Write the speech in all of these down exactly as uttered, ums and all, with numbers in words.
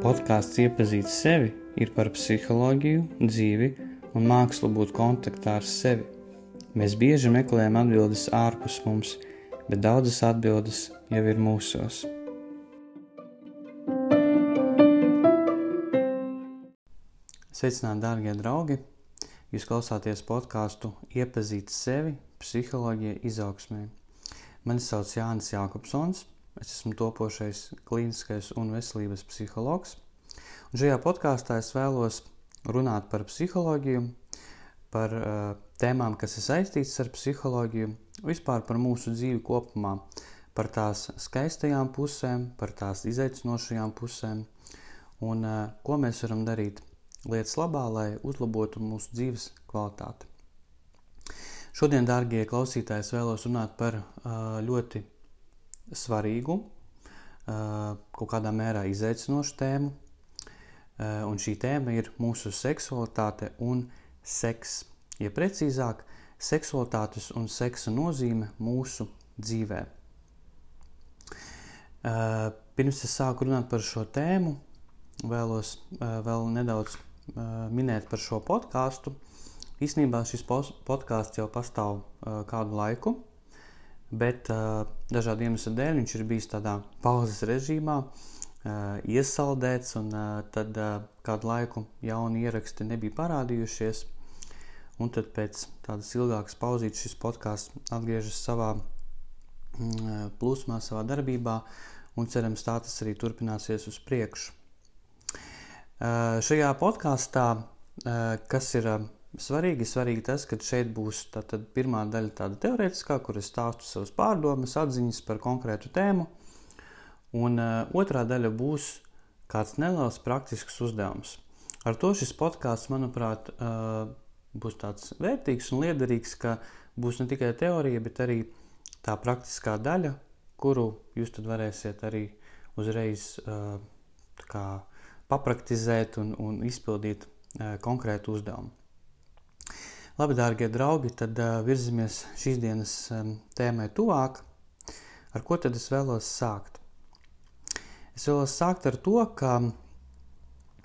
Podkāsts Iepazīt sevi ir par psiholoģiju, dzīvi un mākslu būt kontaktā ar sevi. Mēs bieži meklējam atbildes ārpus mums, bet daudzas atbildes jau ir mūsos. Sveicināti, dārgie draugi! Jūs klausāties podkāstu Iepazīt sevi psiholoģija izaugsmē. Mani sauc Jānis Jākopsons. Es esmu topošais klīniskais un veselības psihologs. Un šajā podkāstā es vēlos runāt par psiholoģiju, par uh, tēmām, kas ir saistītas ar psiholoģiju, vispār par mūsu dzīvi kopumā, par tās skaistajām pusēm, par tās izaicinošajām pusēm un uh, ko mēs varam darīt lietas labā, lai uzlabotu mūsu dzīves kvalitāti. Šodien, dārgie klausītāji, es vēlos runāt par uh, ļoti svarīgu, kaut kādā mērā izaicinošu tēmu, un šī tēma ir mūsu seksualitāte un seks. Ja precīzāk, seksualitātes un seksa nozīme mūsu dzīvē. Pirms es sāku runāt par šo tēmu, vēlos vēl nedaudz minēt par šo podkāstu. Īstenībā šis podkāsts jau pastāv kādu laiku, bet uh, dažādu iemeslu dēļ viņš ir bijis tādā pauzes režīmā, uh, iesaldēts, un uh, tad uh, kādu laiku jauni ieraksti nebija parādījušies, un tad pēc tādas ilgākas pauzītes šis podcasts atgriežas savā mm, plūsmā, savā darbībā, un cerams tā tas arī turpināsies uz priekšu. Uh, šajā podkastā, uh, kas ir uh, Svarīgi, svarīgi tas, ka šeit būs tātad pirmā daļa tāda teorētiskā, kur es stāstu savas pārdomas, atziņas par konkrētu tēmu, un uh, otrā daļa būs kāds neliels praktisks uzdevums. Ar to šis podkāsts, manuprāt, uh, būs tāds vērtīgs un liederīgs, ka būs ne tikai teorija, bet arī tā praktiskā daļa, kuru jūs tad varēsiet arī uzreiz uh, tā kā papraktizēt un, un izpildīt uh, konkrētu uzdevumu. Labi, dārgie draugi, tad uh, virzamies šīs dienas um, tēmai tuvāk. Ar ko tad es vēlos sākt? Es vēlos sākt ar to, ka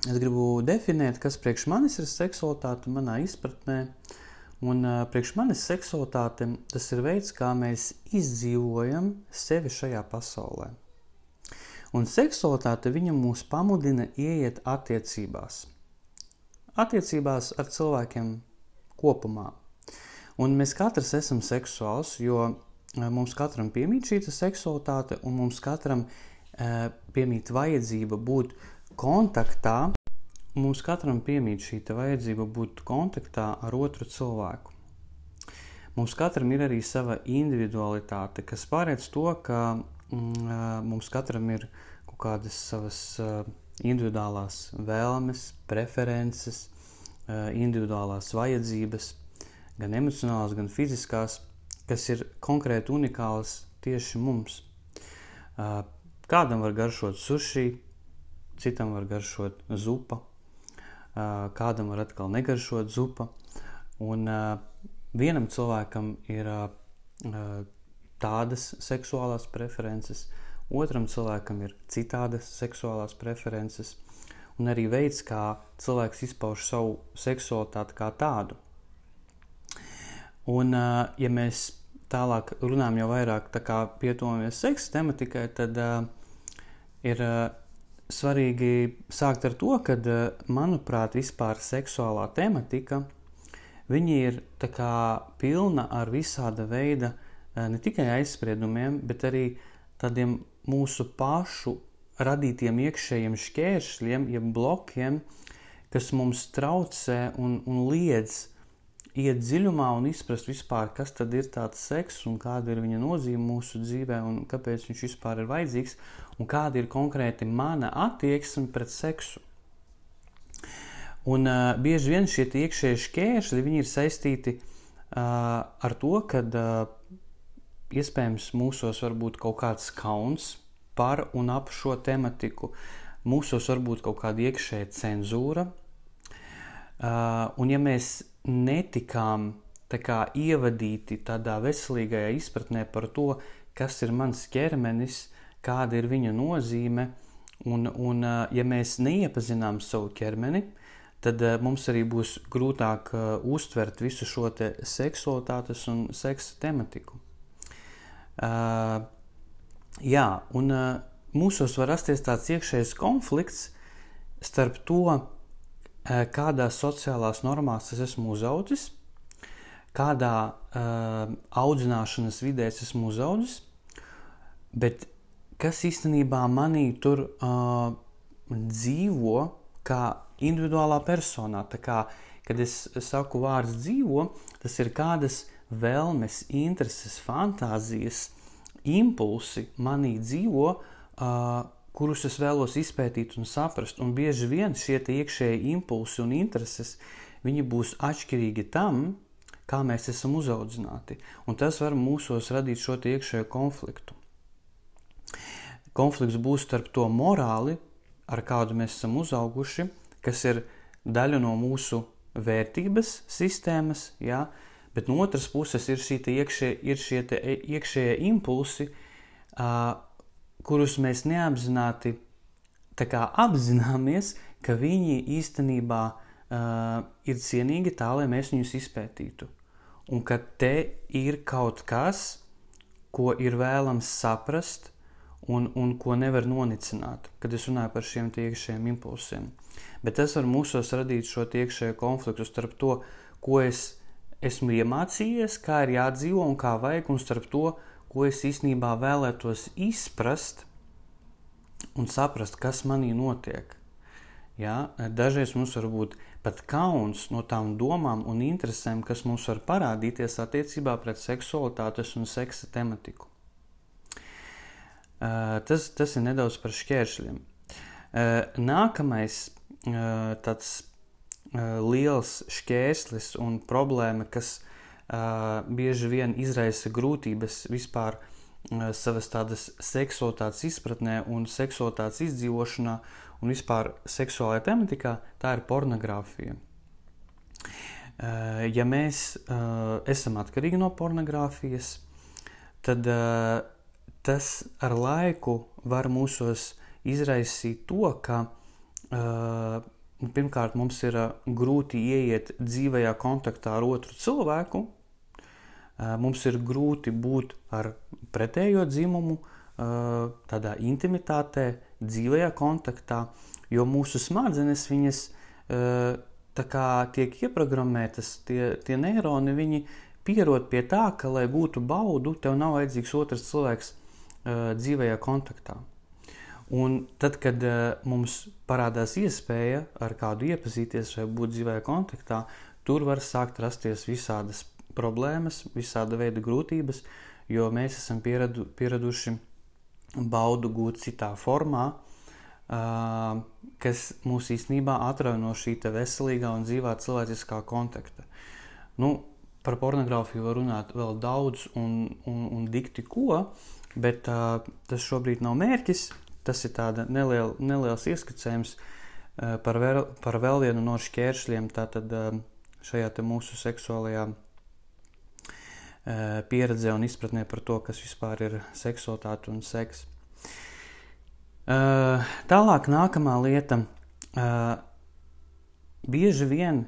es gribu definēt, kas priekš manis ir seksualitāte manā izpratnē. Un uh, priekš manis seksualitāte tas ir veids, kā mēs izdzīvojam sevi šajā pasaulē. Un seksualitāte viņa mūs pamudina ieiet attiecībās. Attiecībās ar cilvēkiem kopumā. Un mēs katrs esam seksuāls, jo mums katram piemīt šī seksualitāte un mums katram e, piemīt vajadzība būt kontaktā, mums katram piemīt šī vajadzība būt kontaktā ar otru cilvēku. Mums katram ir arī sava individualitāte, kas pārēc to, ka mm, mums katram ir kaut kādas savas uh, individuālās vēlmes, preferences, individuālās vajadzības, gan emocionālās, gan fiziskās, kas ir konkrēti unikālas tieši mums. Kādam var garšot suši, citam var garšot zupa, kādam var atkal negaršot zupa, un vienam cilvēkam ir tādas seksuālās preferences, otram cilvēkam ir citādas seksuālās preferences, un arī veids, kā cilvēks izpauž savu seksualitāti kā tādu. Un, ja mēs tālāk runājam jau vairāk tā kā pietuvamies seksa tematikai, tad uh, ir uh, svarīgi sākt ar to, ka, uh, manuprāt, vispār seksuālā tematika, viņa ir tā kā pilna ar visāda veida uh, ne tikai aizspriedumiem, bet arī tādiem mūsu pašu radītiem iekšējiem šķēršļiem, jeb blokiem, kas mums traucē un, un liedz iet dziļumā un izprast vispār, kas tad ir tāds seks un kāda ir viņa nozīme mūsu dzīvē un kāpēc viņš vispār ir vajadzīgs un kāda ir konkrēti mana attieksme pret seksu. Un uh, bieži vien šie iekšējie šķēršļi, viņi ir saistīti uh, ar to, ka uh, iespējams mūsos var būt kaut kāds kauns par un ap šo tematiku. Mūsos var būt kaut kāda iekšēja cenzūra. Uh, un ja mēs netikām tā kā ievadīti tādā veselīgajā izpratnē par to, kas ir mans ķermenis, kāda ir viņa nozīme, un, un ja mēs neiepazinām savu ķermeni, tad uh, mums arī būs grūtāk uh, uztvert visu šo te seksualitātes un seksa tematiku. Uh, jā, un uh, mūsos var rasties tāds iekšējs konflikts starp to, uh, kādās sociālās normās es esmu uzaudzis, kādā uh, audzināšanas vidē es esmu uzaudzis, bet kas īstenībā manī tur uh, dzīvo kā individuālā personā. Tā kā, kad es saku vārds dzīvo, tas ir kādas vēlmes, intereses, fantāzijas, impulsi manī dzīvo, uh, kurus es vēlos izpētīt un saprast. Un bieži vien šie tie iekšēji impulsi un intereses, viņi būs atšķirīgi tam, kā mēs esam uzaudzināti. Un tas var mūsos radīt šo tie iekšējo konfliktu. Konflikts būs starp to morāli, ar kādu mēs esam uzauguši, kas ir daļa no mūsu vērtības sistēmas, jā, bet no otras puses ir, šī iekšē, ir šie iekšējie impulsi, uh, kurus mēs neapzināti tā kā apzināmies, ka viņi īstenībā uh, ir cienīgi tā, lai mēs viņus izpētītu. Un ka te ir kaut kas, ko ir vēlams saprast, Un, un ko nevar nonicināt, kad es runāju par šiem iekšējiem impulsiem. Bet tas var mūsos radīt šo iekšējo konfliktu starp to, ko es esmu iemācījies, kā ir jādzīvo un kā vajag, un starp to, ko es īstenībā vēlētos izprast un saprast, kas manī notiek. Ja? Dažreiz mums var būt pat kauns no tām domām un interesēm, kas mums var parādīties attiecībā pret seksualitātes un seksa tematiku. Uh, tas, tas ir nedaudz par šķēršļiem. Uh, nākamais uh, tāds uh, liels šķērslis un problēma, kas uh, bieži vien izraisa grūtības vispār uh, savas tādas seksualitātes izpratnē un seksualitātes izdzīvošanā un vispār seksuālajā tematikā, tā ir pornogrāfija. Uh, ja mēs uh, esam atkarīgi no pornogrāfijas, tad uh, tas ar laiku var mūsos izraisīt to, ka uh, pirmkārt mums ir uh, grūti ieiet dzīvajā kontaktā ar otru cilvēku, uh, mums ir grūti būt ar pretējo dzimumu, uh, tādā intimitātē, dzīvajā kontaktā, jo mūsu smadzenes viņas uh, tā kā tiek ieprogrammētas, tie, tie neironi, viņi pierod pie tā, ka, lai gūtu baudu, tev nav vajadzīgs otrs cilvēks dzīvajā kontaktā. Un tad, kad uh, mums parādās iespēja ar kādu iepazīties vai būt dzīvajā kontaktā, tur var sākt rasties visādas problēmas, visāda veida grūtības, jo mēs esam pieradu, pieraduši baudu gūt citā formā, uh, kas mūs īstenībā atrauj no šī te veselīgā un dzīvā cilvēciskā kontakta. Nu, par pornogrāfiju var runāt vēl daudz un, un, un dikti ko, bet uh, tas šobrīd nav mērķis, tas ir tāda neliela, neliels ieskicējums uh, par, vēl, par vēl vienu no šķēršļiem tātad uh, šajā te mūsu seksuālajā uh, pieredzē un izpratnē par to, kas vispār ir seksualitāte un seks. Uh, tālāk nākamā lieta. Uh, bieži vien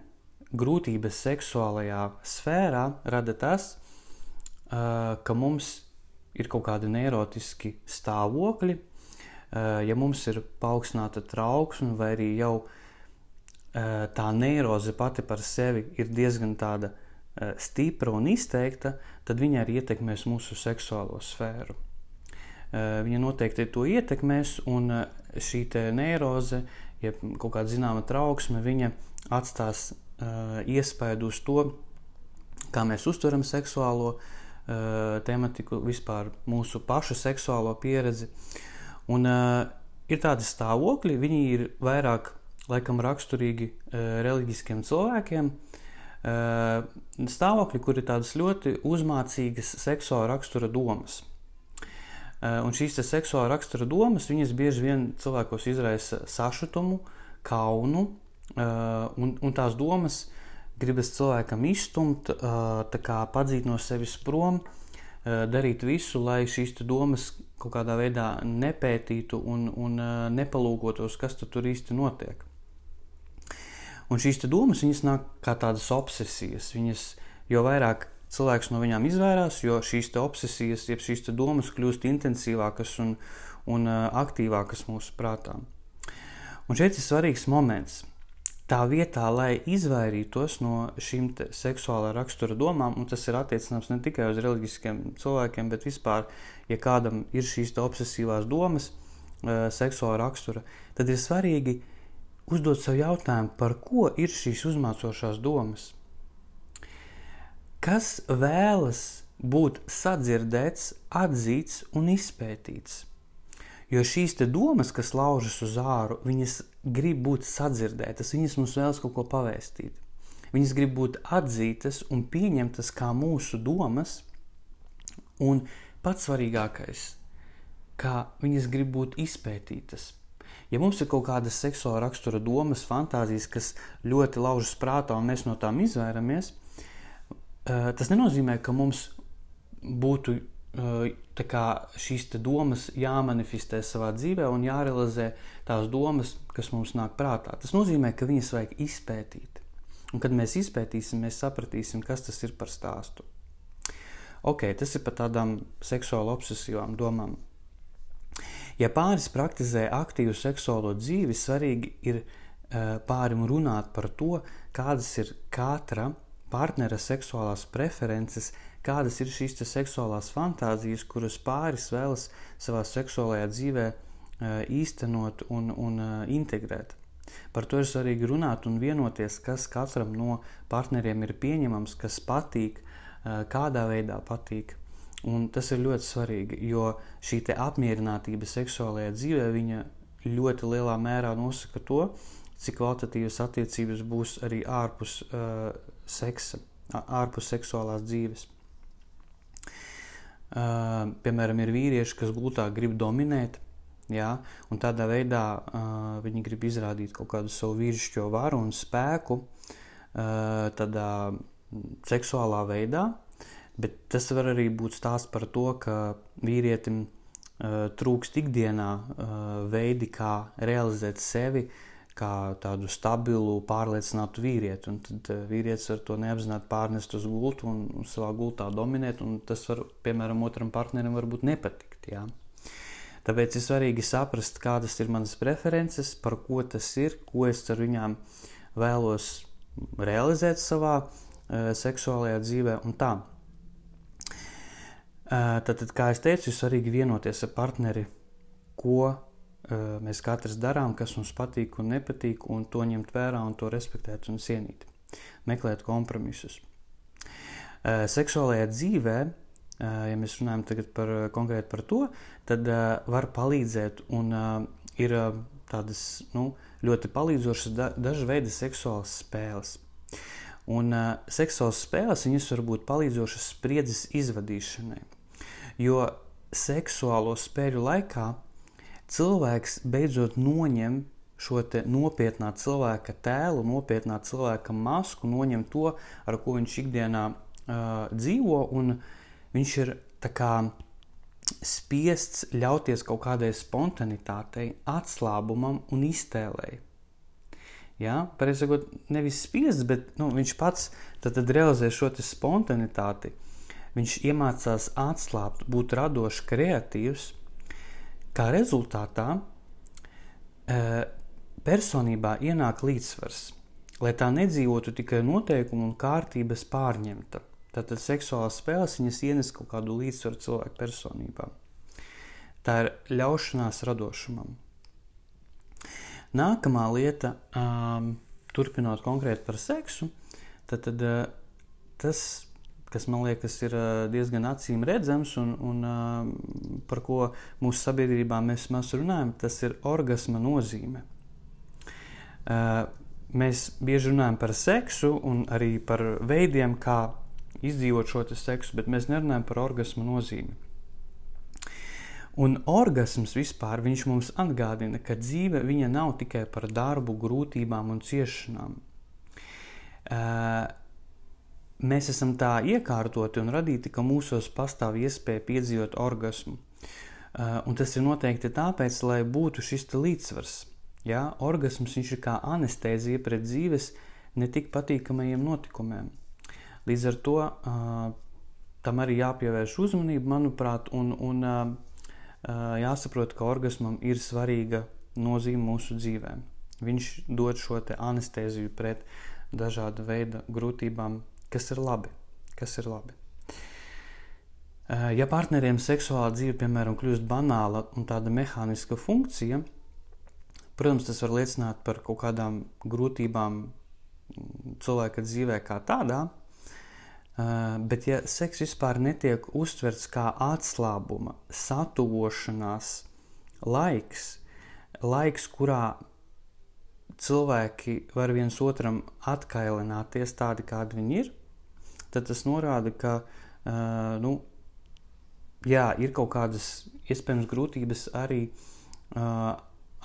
grūtības seksuālajā sfērā rada tas, uh, ka mums ir kaut kādi neirotiski stāvokļi, ja mums ir paaugstināta trauksme vai arī jau tā neiroze pati par sevi ir diezgan tāda stipra un izteikta, tad viņa arī ietekmēs mūsu seksuālo sfēru. Viņa noteikti to ietekmēs, un šī te neiroze, ja kaut kāda zināma trauksme, viņa atstās iespaidu uz to, kā mēs uztveram seksuālo tematiku, vispār mūsu pašu seksuālo pieredzi. Un uh, ir tādi stāvokļi, viņi ir vairāk laikam raksturīgi uh, reliģiskiem cilvēkiem. Uh, stāvokļi, kur ir tādas ļoti uzmācīgas seksuāla rakstura domas. Uh, un šīs seksuāla rakstura domas, viņas bieži vien cilvēkos izraisa sašutumu, kaunu, uh, un, un tās domas gribas cilvēkam izstumt, tā kā padzīt no sevis prom, darīt visu, lai šīs domas kaut kādā veidā nepētītu un, un nepalūkotos, kas tur īsti notiek. Un šīs domas, viņas nāk kā tādas obsesijas. Viņas, jo vairāk cilvēks no viņām izvairās, jo šīs obsesijas, jeb šīs domas kļūst intensīvākas un, un aktīvākas mūsu prātā. Un šeit ir svarīgs moments. Tā vietā, lai izvairītos no šīm seksuālā rakstura domām, un tas ir attiecināms ne tikai uz reliģiskiem cilvēkiem, bet vispār, ja kādam ir šīs obsesīvās domas, seksuālā rakstura, tad ir svarīgi uzdot sev jautājumu, par ko ir šīs uzmācošās domas. Kas vēlas būt sadzirdēts, atzīts un izpētīts? Jo šīs te domas, kas laužas uz āru, viņas grib būt sadzirdētas, viņas mums vēlas kaut ko pavēstīt. Viņas grib būt atzītas un pieņemtas kā mūsu domas, un pats svarīgākais, kā viņas grib būt izpētītas. Ja mums ir kaut kādas seksuāla rakstura domas, fantāzijas, kas ļoti laužas prātā un mēs no tām izvairamies, tas nenozīmē, ka mums būtu tā kā šīs te domas jāmanifestē savā dzīvē un jārealizē tās domas, kas mums nāk prātā. Tas nozīmē, ka viņas vajag izpētīt. Un kad mēs izpētīsim, mēs sapratīsim, kas tas ir par stāstu. Ok, tas ir par tādām seksuāli obsesīvām domām. Ja pāris praktizē aktīvu seksuālo dzīvi, svarīgi ir pārim runāt par to, kādas ir katra partnera seksuālās preferences, kādas ir šīs seksuālās fantāzijas, kuras pāris vēlas savā seksuālajā dzīvē īstenot un, un integrēt. Par to ir svarīgi runāt un vienoties, kas katram no partneriem ir pieņemams, kas patīk, kādā veidā patīk. Un tas ir ļoti svarīgi, jo šī te apmierinātība seksuālajā dzīvē, viņa ļoti lielā mērā nosaka to, cik kvalitatīvas attiecības būs arī ārpus uh, seksa, ārpus seksuālās dzīves. Uh, piemēram, ir vīrieši, kas gultā grib dominēt, jā, un tādā veidā uh, viņi grib izrādīt kaut kādu savu vīrišķo varu un spēku uh, tādā seksuālā veidā, bet tas var arī būt stāsts par to, ka vīrietim uh, trūkst ikdienā uh, veidi, kā realizēt sevi, kā tādu stabilu, pārliecinātu vīrieti. Un tad vīrietis var to neapzināti pārnest uz gultu un, un savā gultā dominēt, un tas var, piemēram, otram partnerim varbūt nepatikt. Jā. Tāpēc ir svarīgi saprast, kādas ir manas preferences, par ko tas ir, ko es ar viņām vēlos realizēt savā uh, seksuālajā dzīvē un tā. Uh, tātad, kā es teicu, ir svarīgi vienoties ar partneri, ko mēs katrs darām, kas mums patīk un nepatīk, un to ņemt vērā un to respektēt un cienīt. Meklēt kompromisus. Seksuālajā dzīvē, ja mēs runājam tagad par, konkrēti par to, tad var palīdzēt un ir tādas nu, ļoti palīdzošas da, dažas veidi seksuālas spēles. Un seksuālas spēles, viņas var būt palīdzošas spriedzes izvadīšanai, jo seksuālo spēļu laikā cilvēks beidzot noņem šo te nopietnā cilvēka tēlu, nopietnā cilvēka masku, noņem to, ar ko viņš ikdienā uh, dzīvo, un viņš ir tā kā spiests ļauties kaut kādai spontanitātei, atslābumam un iztēlei. Ja? Pareizi sakot, nevis spiests, bet nu, viņš pats tad, tad realizē šo te spontanitāti. Viņš iemācās atslābt, būt radošs, kreatīvs. Kā rezultātā personībā ienāk līdzsvars, lai tā nedzīvotu tikai noteikumu un kārtības pārņemta. Tātad seksuālās spēles viņas ienes kaut kādu līdzsvaru cilvēku personībā. Tā ir ļaušanās radošumam. Nākamā lieta, um, turpinot konkrēti par seksu, tad, tad uh, tas, kas man liekas ir diezgan acīm redzams un, un uh, par ko mūsu sabiedrībā mēs maz runājam, tas ir orgasma nozīme. Uh, mēs bieži runājam par seksu un arī par veidiem, kā izdzīvot šo seksu, bet mēs nerunājam par orgasma nozīmi. Un orgasms vispār, viņš mums atgādina, ka dzīve viņa nav tikai par darbu, grūtībām un ciešanām. mēs esam tā iekārtoti un radīti, ka mūsos pastāv iespēja piedzīvot orgasmu. Un tas ir noteikti tāpēc, lai būtu šis līdzsvars. Ja? Orgasms viņš ir kā anestēzija pret dzīves netik patīkamajiem notikumiem. Līdz ar to tam arī jāpievērš uzmanība, manuprāt, un, un jāsaprot, ka orgasmam ir svarīga nozīme mūsu dzīvēm. Viņš dod šo te anestēziju pret dažāda veida grūtībām, kas ir labi, kas ir labi. Ja partneriem seksuālā dzīve, piemēram, kļūst banāla un tāda mehāniska funkcija, protams, tas var liecināt par kaut kādām grūtībām cilvēka dzīvē kā tādā, bet ja seks vispār netiek uztverts kā atslābuma, satuvošanās laiks, laiks, kurā cilvēki var viens otram atkailināties tādi, kādi viņi ir, tad tas norāda, ka uh, nu, jā, ir kaut kādas iespējams grūtības arī uh,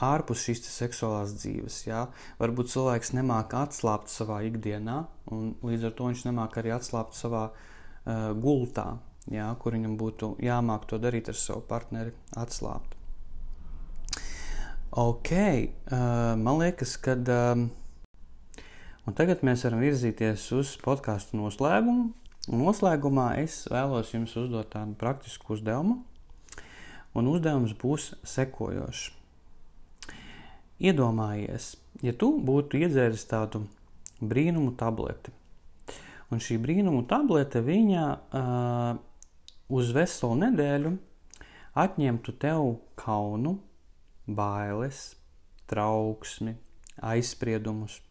ārpus šīs seksuālās dzīves. Jā. Varbūt cilvēks nemāk atslābt savā ikdienā, un līdz ar to viņš nemāk arī atslābt savā uh, gultā, jā, kur viņam būtu jāmāk to darīt ar savu partneri, atslābt. Ok, uh, man liekas, ka um, un tagad mēs varam virzīties uz podcastu noslēgumu. Un noslēgumā es vēlos jums uzdot tādu praktisku uzdevumu, un uzdevums būs sekojošs. Iedomājies, ja tu būtu iedzēris tādu brīnumu tableti, un šī brīnumu tablete viņa uh, uz veselu nedēļu atņemtu tev kaunu, bailes, trauksmi, aizspriedumus.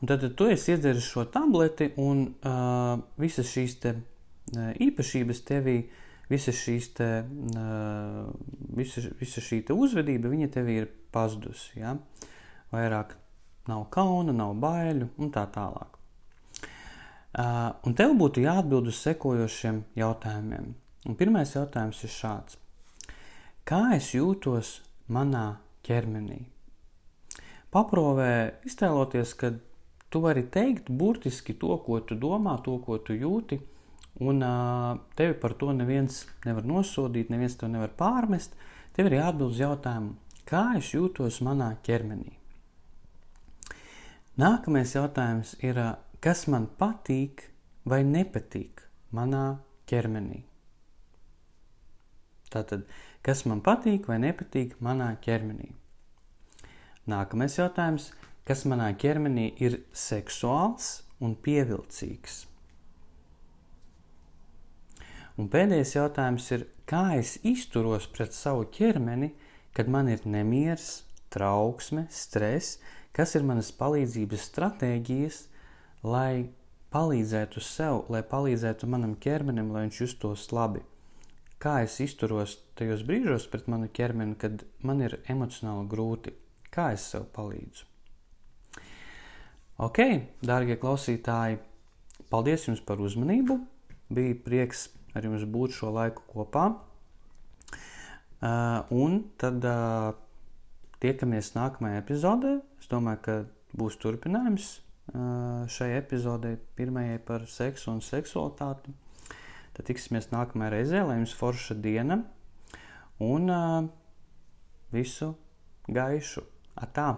Un tad tu esi iedzēris šo tableti un uh, visas šīs te uh, īpašības tevī, visas šīs te, uh, visa, visa šī te uzvedība, viņa tevī ir pazudusi, ja? Vairāk nav kauna, nav baiļu un tā tālāk. Uh, un tev būtu jāatbild uz sekojošiem jautājumiem. Un pirmais jautājums ir šāds. Kā es jūtos manā ķermenī? Paprovē iztēloties, ka tu vari teikt burtiski to, ko tu domā, to, ko tu jūti, un uh, tevi par to neviens nevar nosodīt, neviens to nevar pārmest. Tev ir jāatbild uz jautājumu, kā es jūtos manā ķermenī? Nākamais jautājums ir, kas man patīk vai nepatīk manā ķermenī? Tātad, kas man patīk vai nepatīk manā ķermenī? Nākamais jautājums, kas manā ķermenī ir seksuāls un pievilcīgs? Un pēdējais jautājums ir, kā es izturos pret savu ķermeni, kad man ir nemieris, trauksme, stress, kas ir manas palīdzības stratēģijas, lai palīdzētu sev, lai palīdzētu manam ķermenim, lai viņš justos labi. Kā es izturos tajos brīžos pret manu ķermeni, kad man ir emocionāli grūti? Kā es sev palīdzu? Ok, dārgie klausītāji, paldies jums par uzmanību. Bija prieks ar jums būt šo laiku kopā. Uh, un tad uh, tiekamies nākamajā epizodē. Es domāju, ka būs turpinājums uh, šai epizodē, pirmajai par seksu un seksualitāti. Tad tiksimies nākamajā reizē, lai jums forša diena un uh, visu gaišu. Atā!